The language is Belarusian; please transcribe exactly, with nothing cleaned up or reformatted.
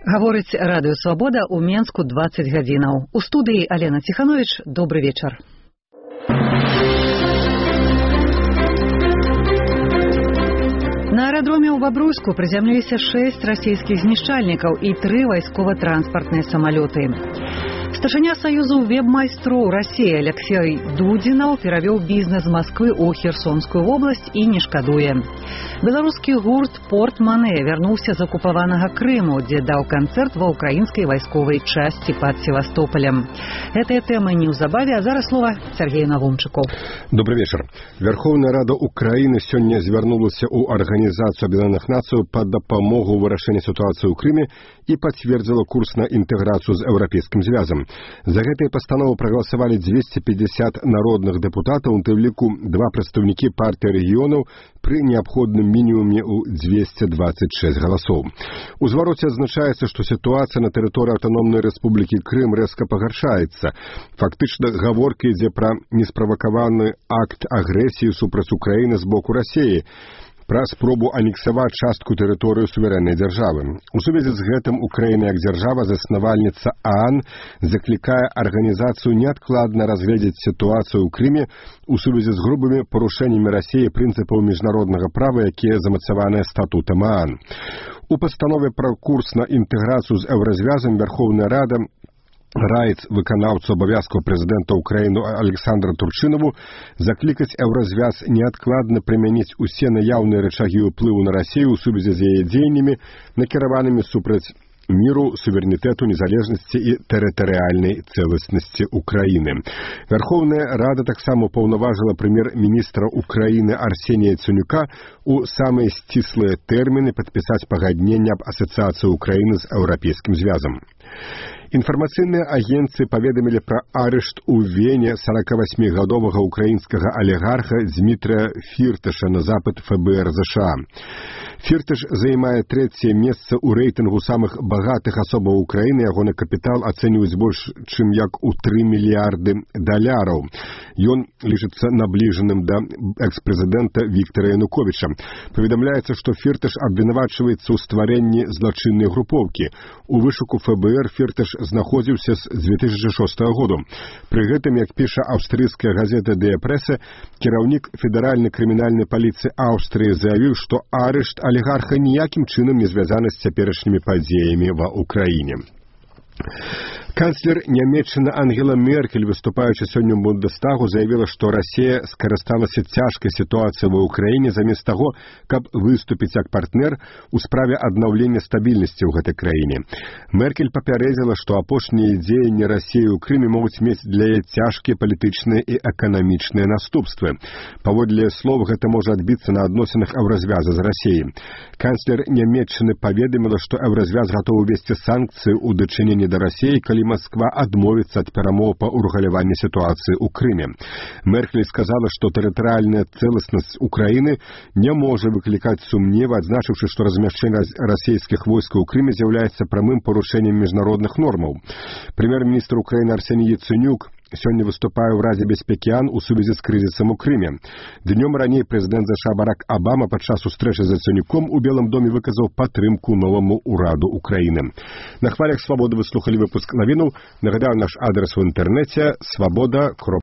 Гаворыць радыё «Свабода» ў Менску дваццаць гадзінаў. У студыі Алена Ціханович. Добры вечар. На аэрадроме ў Бабруйску прызямліліся шэсць расійскіх знішчальнікаў і тры вайскова-транспартныя самалёты. Старшыня Саюзу веб-майстроў Расіі Алексей Дудзінаў перавёў бізнес з Масквы ў Херсонскую вобласць і не шкадуе. Беларускі гурт «Порт Мане» вярнуўся з акупаванага Крыму, дзе даў канцэрт ва ўкраінскай вайсковай часці пад Севастополем. Гэтыя тэмы неўзабаве, а зараз слова Сергею Навумчыку. Добрый вечер. Верховная Рада Украины сёння звярнулася ў Арганізацыю Аб'яднаных Нацый па дапамогу ў вырашэнні сітуацыі ў Крыме і пацвердзіла курс на інтэграцыю з Еўрапейскім звязам. За гэтай пастанову прагаласавалі дзвесце пятьдесят народных дэпутатаў, у тым ліку два прадстаўнікі партыі рэгіёнаў пры неабходным мінімуме ў дзвесце дваццаць шэсць галасоў. У звароце адзначаецца, што сітуацыя на тэрыторыі аўтаномнай рэспублікі Крым рэзка пагаршаецца. Фактычна гаворка ідзе пра несправакаваны акт агрэсіі супраць Украіны з боку Расіі, пра спробу анексаваць частку тэрыторыі суверэннай дзяржавы. У сувязі з гэтым Украіна як дзяржава, заснавальніца ААН, заклікае арганізацыю неадкладна разгледзець сітуацыю ў Крыме у сувязі з грубымі парушэннямі Расіі прынцыпаў міжнароднага права, якія замацаваныя статутам ААН. У пастанове пра курс на інтэграцыю з Еўразвязам Верховная Рада раіць выканаўцу абавязкаў прэзідэнта Украіны Александра Турчынову заклікаць Еўразвяз неадкладна прымяніць усе наяўныя рычагі ўплыву на Расію ў сувязі з яе дзеяннямі, накіраванымі супраць міру, суверэнітэту, незалежнасці і тэрытарыяльнай цэласнасці Украіны. Верховная Рада таксама паўнаважыла прэм'ер-міністра Украіны Арсенія Яцэнюка у самыя сціслыя тэрміны падпісаць пагадненне аб асацыяцыі Украіны з Еўрапейскім звязам. Інфармацыйныя агенцыі паведамілі пра арышт у Вене сорокавасьмігадовага украінскага алігарха Дмітрия Фірташа на запыт ФБР США. Фірташ займае трэцяе месца ў рэйтынгу самых багатых асобаў Украіны, ягоны капітал ацэньваюць больш, чым як у тры мільярды даляраў. Ён лічыцца набліжаным да экс-прэзідэнта Віктара Януковіча. Паведамляецца, што Фірташ абвінавачваецца ў стварэнні злачыннай групоўкі. У вышуку ФБР Фірташ знаходзіўся з дзве тысячы шостага году. Пры гэтым, як піша аўстрыйская газета «Дыя Прэса», кіраўнік федэральнай крымінальнай паліцыі Аўстрыі заявіў, што арышт алігарха ніякім чынам не звязаны з цяперашнімі падзеямі ва Ўкраіне. Канцлер Нямецчыны Ангела Меркель, выступаючы сёння ў Бундестагу, заявіла, што Расія скарысталася цяжкай сітуацыяй ва Ўкраіне замест таго, каб выступіць як партнер у справе аднаўлення стабільнасці ў гэтай краіне. Меркель папярэдзіла, што апошнія дзеянні Расіі ў Крыме могуць мець для яе цяжкія палітычныя і эканамічныя наступствы. Паводле слоў, гэта можа адбіцца на адносінах Еўразвяза з Расіяй. Канцлер Нямецчыны паведаміла, што Еўразвяз гатовы ўвесці санкцыі ў дачыненні да Расіі, калі Москва адмовіцца ад перамоў па ўрэгуляванні сітуацыі ў Крыме. Меркель сказала, што тэрытарыяльная цэласнасць Украіны не можа выклікаць сумневы, адзначыўшы, што размяшчэнне расійскіх войскаў у Крыме з'яўляецца прамым парушэннем міжнародных нормаў. Прэм'ер-міністр Украіны Арсеній Яцэнюк сёння выступае ў Радзе бяспекі ААН у сувязі з крызісам у Крыме. Днём раней прэзідэнт ЗША Барак Абама падчас сустрэчы з Яцэнюком у Белым доме выказаў падтрымку новаму ўраду Украіны. На хвалях «Свабоды» вы слухалі выпуск навінаў. Нагадаю, наш адрес у інтэрнэце свабода.